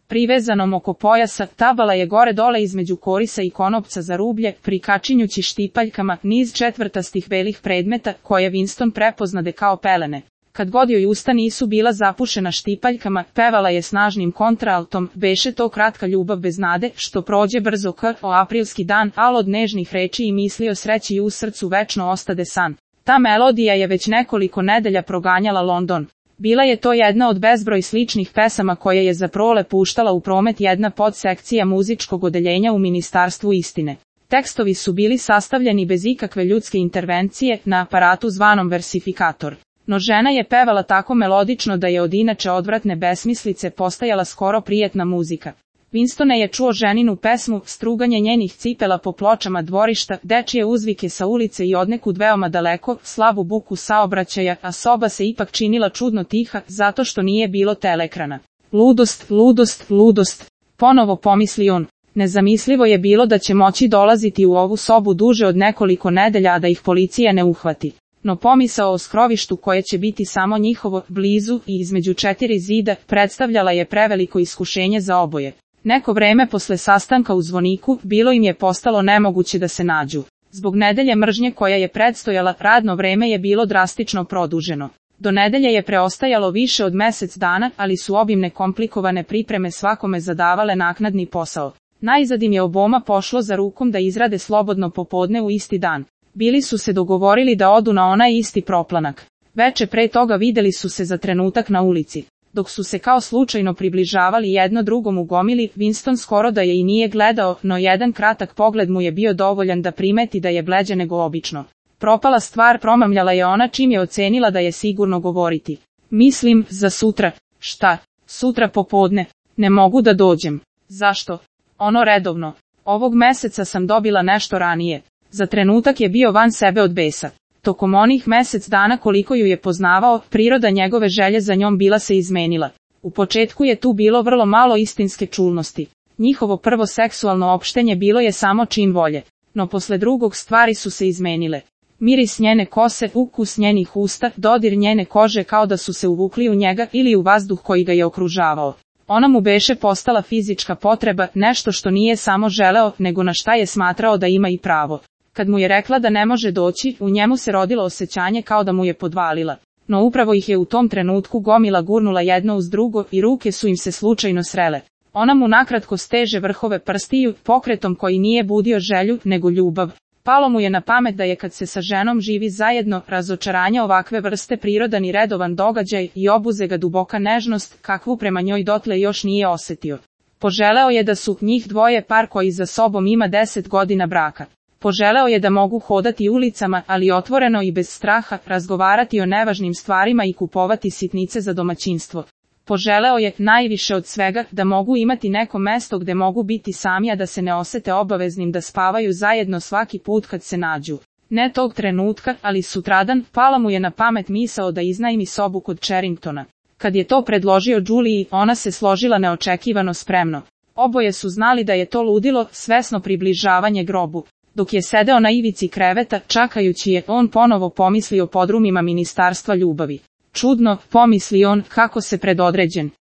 privezanom oko pojasa, tabala je gore dole između korisa i konopca za rublje, prikačinjući štipaljkama niz četvrtastih belih predmeta, koje Winston prepoznade kao pelene. Kad god joj usta nisu bila zapušena štipaljkama, pevala je snažnim kontraaltom, beše to kratka ljubav bez nade, što prođe brzo o aprilski dan, al od nežnih reči i misli o sreći u srcu večno ostade san. Ta melodija je već nekoliko nedelja proganjala London. Bila je to jedna od bezbroj sličnih pesama koje je za prole puštala u promet jedna podsekcija muzičkog odeljenja u Ministarstvu istine. Tekstovi su bili sastavljeni bez ikakve ljudske intervencije na aparatu zvanom versifikator. No žena je pevala tako melodično da je od inače odvratne besmislice postajala skoro prijetna muzika. Winstone je čuo ženinu pesmu, struganje njenih cipela po pločama dvorišta, dečije uzvike sa ulice i odnekud veoma daleko, slabu buku saobraćaja, a soba se ipak činila čudno tiha, zato što nije bilo teleekrana. Ludost, ludost, ludost, ponovo pomisli on. Nezamislivo je bilo da će moći dolaziti u ovu sobu duže od nekoliko nedelja, a da ih policija ne uhvati. No pomisao o skrovištu koje će biti samo njihovo, blizu i između četiri zida, predstavljala je preveliko iskušenje za oboje. Neko vreme posle sastanka u zvoniku, bilo im je postalo nemoguće da se nađu. Zbog nedelje mržnje koja je predstojala, radno vreme je bilo drastično produženo. Do nedelje je preostajalo više od mesec dana, ali su obimne komplikovane pripreme svakome zadavale naknadni posao. Najzad im je oboma pošlo za rukom da izrade slobodno popodne u isti dan. Bili su se dogovorili da odu na onaj isti proplanak. Veče pre toga videli su se za trenutak na ulici. Dok su se kao slučajno približavali jedno drugom u gomili, Winston skoro da je i nije gledao, no jedan kratak pogled mu je bio dovoljan da primeti da je bleđa nego obično. Propala stvar, promamljala je ona čim je ocenila da je sigurno govoriti. Mislim, za sutra. Šta? Sutra popodne. Ne mogu da dođem. Zašto? Ono redovno. Ovog meseca sam dobila nešto ranije. Za trenutak je bio van sebe od besa. Tokom onih mesec dana koliko ju je poznavao, priroda njegove želje za njom bila se izmenila. U početku je tu bilo vrlo malo istinske čulnosti. Njihovo prvo seksualno opštenje bilo je samo čin volje. No posle drugog stvari su se izmenile. Miris njene kose, ukus njenih usta, dodir njene kože kao da su se uvukli u njega ili u vazduh koji ga je okružavao. Ona mu beše postala fizička potreba, nešto što nije samo želeo, nego na šta je smatrao da ima i pravo. Kad mu je rekla da ne može doći, u njemu se rodilo osjećanje kao da mu je podvalila. No upravo ih je u tom trenutku gomila gurnula jedno uz drugo i ruke su im se slučajno srele. Ona mu nakratko steže vrhove prstiju, pokretom koji nije budio želju, nego ljubav. Palo mu je na pamet da je kad se sa ženom živi zajedno, razočaranje ovakve vrste prirodan i redovan događaj i obuze ga duboka nežnost, kakvu prema njoj dotle još nije osetio. Poželeo je da su njih dvoje par koji za sobom ima 10 godina braka. Poželeo je da mogu hodati ulicama, ali otvoreno i bez straha, razgovarati o nevažnim stvarima i kupovati sitnice za domaćinstvo. Poželeo je, najviše od svega, da mogu imati neko mesto gde mogu biti sami, a da se ne osete obaveznim da spavaju zajedno svaki put kad se nađu. Ne tog trenutka, ali sutradan, pala mu je na pamet misao da iznajmi sobu kod Charringtona. Kad je to predložio Juliji, ona se složila neočekivano spremno. Oboje su znali da je to ludilo, svesno približavanje grobu. Dok je sedeo na ivici kreveta, čakajući je, on ponovo pomislio o podrumima Ministarstva ljubavi. Čudno, pomisli on, kako se predodređen.